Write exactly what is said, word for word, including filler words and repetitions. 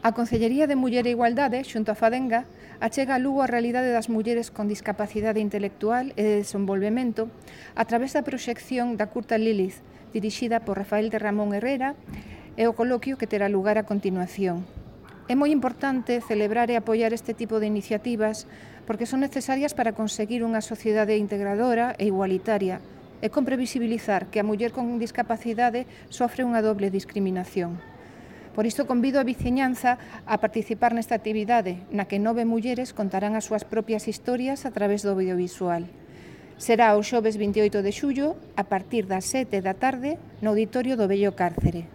A Concellería de Muller e Igualdade, xunto a Fadenga, achega a Lugo a realidade das mulleres con discapacidade intelectual e de desenvolvemento a través da proxección da curta Lilith, dirixida por Rafael de Ramón Herrera, e o coloquio que terá lugar a continuación. É moi importante celebrar e apoiar este tipo de iniciativas porque son necesarias para conseguir unha sociedade integradora e igualitaria e con previsibilizar que a muller con discapacidade sofre unha doble discriminación. Por isto convido a veciñanza a participar nesta actividade, na que nove mulleres contarán as súas propias historias a través do audiovisual. Será o xoves vinte e oito de xullo, a partir das sete da tarde, no auditorio do Vello Cárcere.